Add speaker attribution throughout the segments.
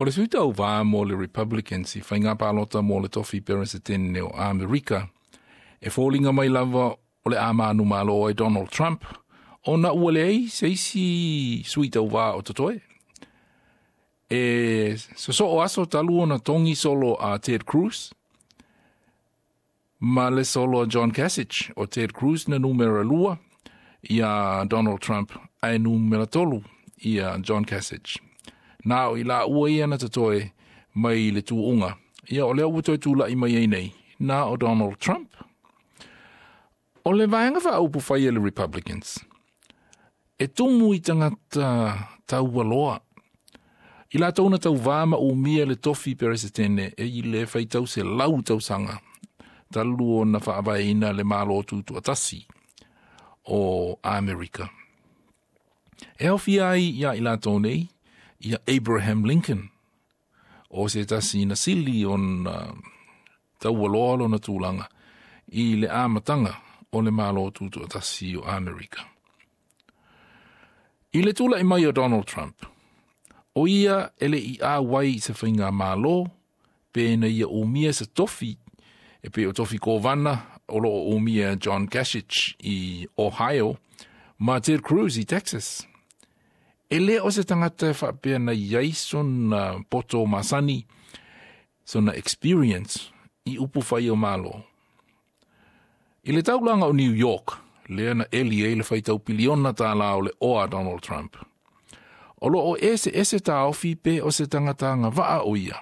Speaker 1: O le sui tauvā mo le Republicans i faiga palota mo le tofi Peresetene o Amerika, e foliga mai lava o le a manumalo ai Donald Trump, ona ua leai se isi sui tauvā o totoe. E sosoo aso talu ona togi solo a Ted Cruz, ma le solo a John Kasich. O Ted Cruz na numera 2 ia Donald Trump, ae numera 3 ia John Kasich. Na o i la ua ia na totoe mai le tuuga. Ia o lea ua toe tula'i mai ai nei, na o Donald Trump. O le vaega faaupufai a le Republicans, e tumu i tagata taualoa. I latou na tauvā ma umia le tofi Peresetene e i le faitau 100 tausaga, talu ona faavaeina le Malo Tutoatasi o Amerika. E aofia ai ia i latou nei, ia Abraham Lincoln, o se tasi na sili ona taualoa lona tulaga i le amataga o le Malo Tutoatasi o Amerika. I le tula'i mai o Donald Trump, o ia e le i auai i se faiga malo pe na ia umia se tofi e pei o tofi kovana o lo o umia John Kasich i Ohio ma Ted Cruz i Texas. E le o se tagata e faapea na iai sona poto masani, sona experience i upu fai o malo. I le taulaga o New York, lea na eli ai le faitau piliona tālā o le oa Donald Trump. O lo o ese ese taofi pe o se tagata agavaa o ia,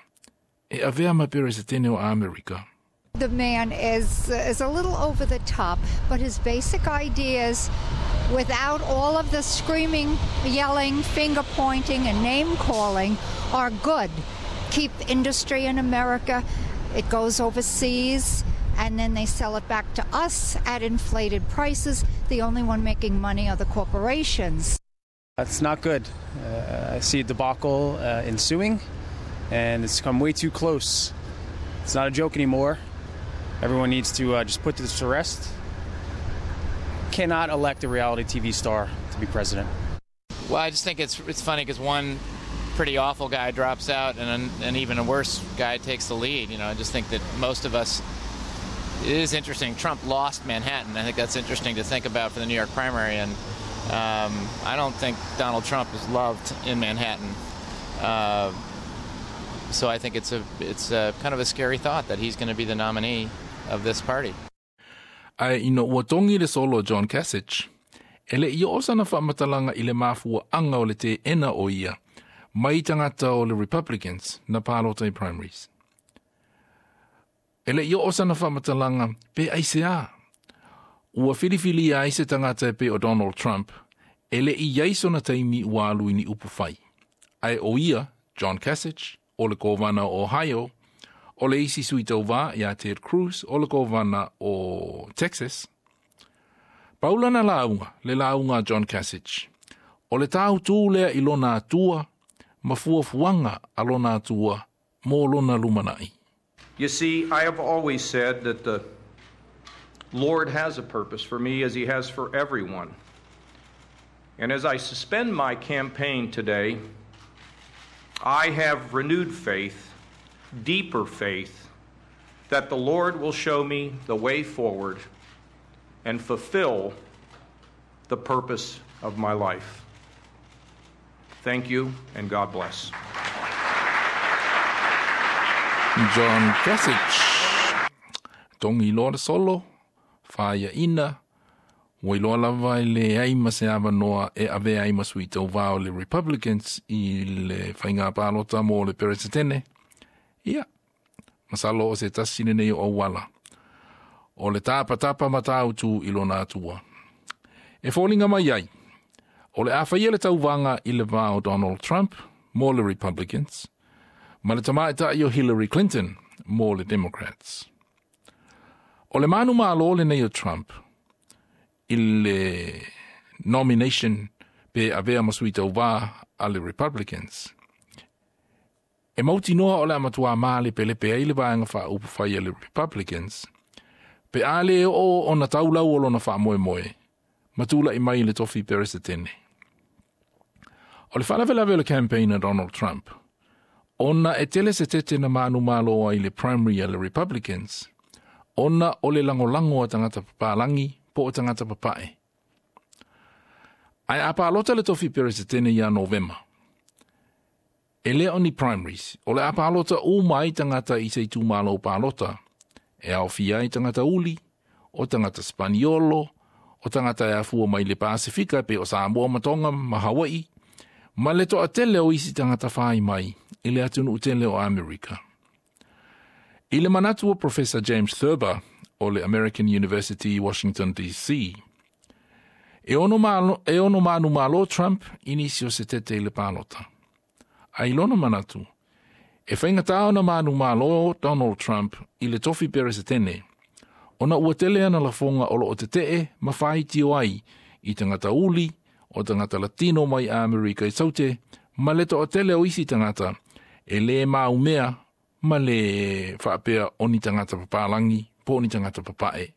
Speaker 1: e avea ma Peresetene o Amerika.
Speaker 2: The man is a little over the top, but his basic ideas, without all of the screaming, yelling, finger pointing, and name calling, are good. Keep industry in America, it goes overseas, and then they sell it back to us at inflated prices. The only one making money are the corporations.
Speaker 3: It's not good. I see a debacle ensuing, and it's come way too close. It's not a joke anymore. Everyone needs to just put this to rest. Cannot elect a reality TV star to be president.
Speaker 4: Well, I just think it's funny because one pretty awful guy drops out and an even worse guy takes the lead. I just think that most of us, it is interesting. Trump lost Manhattan. I think that's interesting to think about for the New York primary. And I don't think Donald Trump is loved in Manhattan. So I think it's a kind of a scary thought that he's going to be the nominee of this party.
Speaker 1: Ae ina ua togi le solo John Kasich, e le i oo sana faamatalaga i le mafuaaga o le teena o ia, mai tagata o le Republicans na palota i primaries. E le i oo sana faamatalaga pe aisea. Ua filifilia ai se tagata e pei o Donald Trump, e le i iai sona taimi ua alu i ni upu fai. Ae o ia, John Kasich, o le kovana o Ohio, o le isi sui tauvā ia Ted Cruz, o le kovana o Texas. Pau lana lauga, le lauga a John Kasich. O le tāutū lea i lona atua, ma fuafuaga a lona atua, mo lona lumanai.
Speaker 5: You see, I have always said that the Lord has a purpose for me as he has for everyone. And as I suspend my campaign today, I have renewed faith, deeper faith, that the Lord will show me the way forward and fulfill the purpose of my life. Thank you, and God bless.
Speaker 1: John Kasich, togi loa le solo, faiaina, ua iloa lava e leai ma se avanoa e avea ai ma sui tauvā o le Republicans i le faiga palota mo le Peresetene. Ia, masalo o se tasi lenei o auala. O le tapatapa ma tāutu i lona atua. E foliga mai ai, o le a faia le tauvaga i le va o Donald Trump mo le Republicans, ma le tamaitai o Hillary Clinton mo le Democrats. O le manumalo lenei o Trump i le nomination pe avea ma sui tauvā a le Republicans. E mautinoa o le a matuā malepelepe ai le vaega faaupufai a le Republicans, pe a le oo ona taulau o lona faamoemoe, ma tula'i mai le tofi Peresetene. O le faalavelave o le campaign a Donald Trump, Ona e tele se tete na manumalo ai i le primary a le Republicans, ona o le lagolago a tagata papalagi po o tagata papae. Ae a palota le tofi peresetene ia Novema, e le o ni primaries, o le a palota uma ai tagata i se itumalo palota, e aofia ai tagata uli, o tagata Spaniolo, o tagata e afua mai le Pasifika pei o Samoa ma Tonga ma Hawaii, ma le toatele o isi tagata fai mai i le atunuu tele o Amerika. I le manatu o Professor James Thurber o le American University, Washington DC, e ono, malo, e ono manumalo Trump i nisi o se tete i le palota. A i lona manatu, e faigata ona manumalo Donald Trump i le tofi peresetene, ona ua tele ana lafoga o loo tetee ma faitio ai i tagata uli, o tagata Latino mai Amerika i Saute, ma le toatele o isi tagata e le maumea ma le faapea o ni tagata papalagi po o ni tagata papae.